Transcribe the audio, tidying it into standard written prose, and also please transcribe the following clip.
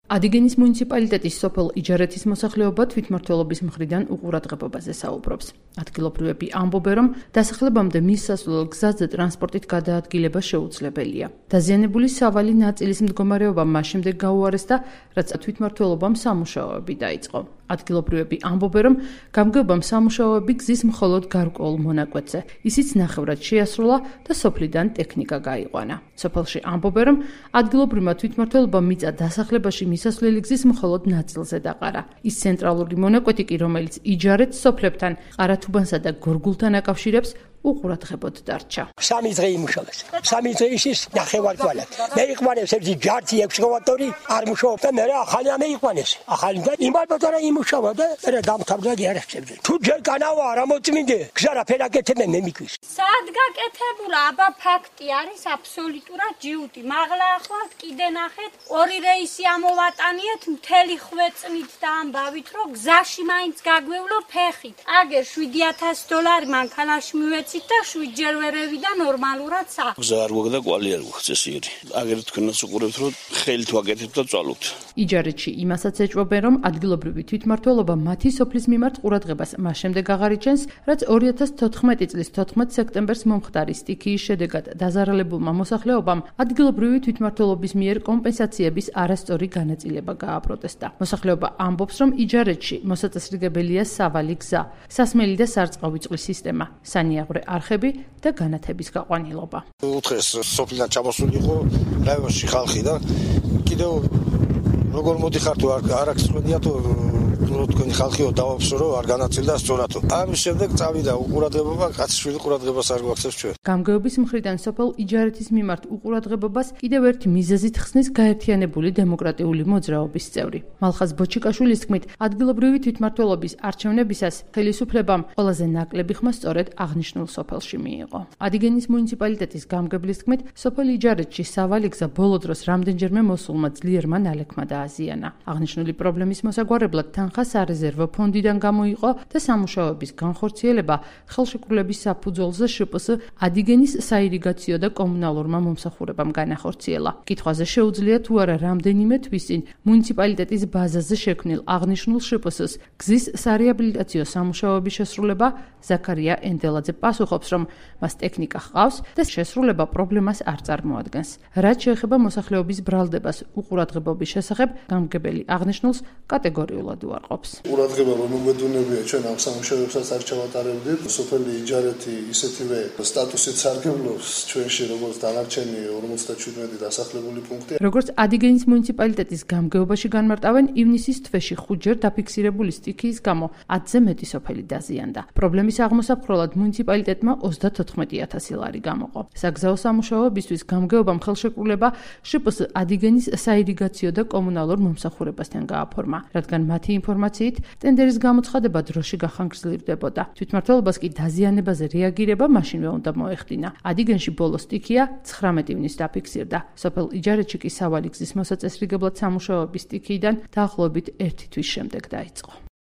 ადიგენის მუნიციპალიტეტის სოფელ იჯარეთის მოსახლეობა თვითმმართველობის მხრიდან უყურადღებობაზე საუბრობს. ადგილობრივები ამბობენ, რომ დასახლებამდე მის სასულელ გზაზე ტრანსპორტით გადაადგილება შეუძლებელია. დაზიანებული სავალი ნაწილის მდგომარეობა მას შემდეგ გაუარეს და რაც თვითმმართველობამ სამუშაოები დაიწყო. ადგილობრივები ამბობენ, რომ გამგეობამ სამუშაოები გზის მხოლოდ გარკვეულ მონაკვეთზე, ისიც ნახევრად შეასრულა და სოფლიდან ტექნიკა გაიყვანა. სოფელში ამბობენ, რომ ადგილობრივმა თვითმმართველობამ მიწა დასახლებაში მისასვლელი გზის მხოლოდ ნაწილზე დაყარა. ის ცენტრალური მონაკვეთი კი, რომელიც იჯარეთს სოფლებთან, ყარათუბანსა და გორგულთან აკავშირებს, უყურადღებოდ დარჩა. სამი დღე იმუშავეს. სამი დღე ის ნახევარდვალად. მე იყვანეს ერთი ჯართი ექსკავატორი, არ მუშაობდა და მე ახალი ამეიყვანეს. ახალი და იმალბატარა იმუშავა და მე დამთავრდა გიარასწევდი. თუ ჯერ განავა არ ამოწმინდე, გზა რაფერაკეთებე მე მიკვის. სად გაკეთებულა? აბა ფაქტი არის აბსოლუტურად ჯიუტი. მაღლა ახლა კიდე ნახეთ, ორი რეისი ამოვატანიეთ მთელი ხვეწმით და ამბავით, რომ გზაში მაინც გაგვევლო ფეხით. აგერ $7,000 მანქანაში მივეცით და 7 ჯერ ვერევიდა ნორმალურად სახ. გზა არ გვაქვს და კვალი არ გვაქვს წესიერი. აგერ თქვენაც უყურებთ, რომ ხელით ვაკეთებთ და წვალობთ. იჯარეთში იმასაც ეჭვობენ, რომ ადგილობრივი თვითმმართველობა მათი სოფლის მიმართ ყურადღებას მას შემდეგ აღარიჩენს, რაც 2014 წლის 14 სექტემბერს მომხდარი სტიქიის შედეგად დაზარალებულმა მოსახლეობამ ადგილობრივი თვითმმართველობის მიერ კომპენსაციების არასწორი განაწილება გააპროტესტა. მოსახლეობა ამბობს, რომ იჯარეთში მოსაწესრიგებელია სავალი გზა, სასმელი და სარწყავი წყლის სისტემა, სანიაღვრე არხები და განათების გაყვანილობა. უთხეს სოფლიდან ჩამოსული იყო რაიონში ხალხი და კიდევ როგორ მოდიხარ თუ არ აქვს ხმედია თუ თქვენი ხალხიო დავაფსო რომ არ განაწილდა სწორათო. ამის შემდეგ წავიდა უყურადღებობა, კაცშვილი ყურადღებას არ გვაქვს ჩვენ. გამგეობის მხრიდან სოფელ იჯარეთის მიმართ უყურადღებობას კიდევ ერთი მიზეზით ხსნის გაერთიანებული დემოკრატიული მოძრაობის წევრი. მალხაზ ბოჩიკაშვილის თქმით, ადგილობრივი თვითმმართველობის არჩევნებისას ხელისუფლებამ ყველაზე ნაკლები ხმა სწორედ აღნიშნულ სოფელში მიიღო. ადიგენის მუნიციპალიტეტის გამგებლის თქმით, სოფელ იჯარეთში სავალი გზა ბოლო დროს რამდენჯერმე მოსულმა ძლიერმა ნალექმა დააზიანა. აღნიშნული პრობლემის მოსაგვარებლად თანხა სარეზერვო ფონდიდან გამოიყო და სამუშაოების განხორციელება ხელშეკრულების საფუძველზე შპს ადიგენის საირიგაციო და კომუნალურმა მომსახურებამ განახორციელა. კითხვაზე შეუძლია თუ არა რამდენიმე თვის წინ მუნიციპალიტეტის ბაზაზე შექმნილ აღნიშნულ შპს-ს გზის სარეაბილიტაციო სამუშაოების შესრულება ზაქარია ენდელაძე პასუხობს, რომ მას ტექნიკა ჰყავს და შესრულება პრობლემას არ წარმოადგენს. რაც შეეხება მოსახლეობის ბრალდებას უყურადღებობის შესახებ, გამგებელი აღნიშნულს კატეგორიულად უარყოფს. ყურადღება რომ მოგვედუნებია ჩვენ ამ სამუშაოებსაც არ ჩავატარებდით. სოფელი იჯარეთი ისეთივე სტატუსით სარგებლობს ჩვენში, როგორც დანარჩენი 57 დასახლებული პუნქტი. როგორც ადიგენის მუნიციპალიტეტის გამგეობაში განმარტავენ, ივნისის თვეში 5 ჯერ დაფიქსირებული სტიქიის გამო 10-ზე მეტი სოფელი დაზიანდა. პრობლემის აღმოსაფხროლად მუნიციპალიტეტმა $34,000 გამოყო. საგზაო სამუშაოებისთვის გამგეობამ ხელშეკრულება შპს ადიგენის საირიგაციო და კომუნალურ მომსახურებასთან გააფორმა, რადგან მათი ინფორმაციით ტენდერის გამოცხადება დროში გახანგრძლივდებოდა. თვითმმართველობას კი დაზიანებაზე რეაგირება მაშინვე უნდა მოეხდინა. ადიგენში ბოლო სტიქია 19 ივნის დაფიქსირდა. სოფელ იჯარეთში კი სავალი გზის მოსაწესრიგებლად სამუშაოების სტიქიიდან დაახლოებით 1 თვის შემდეგ დაიწყო.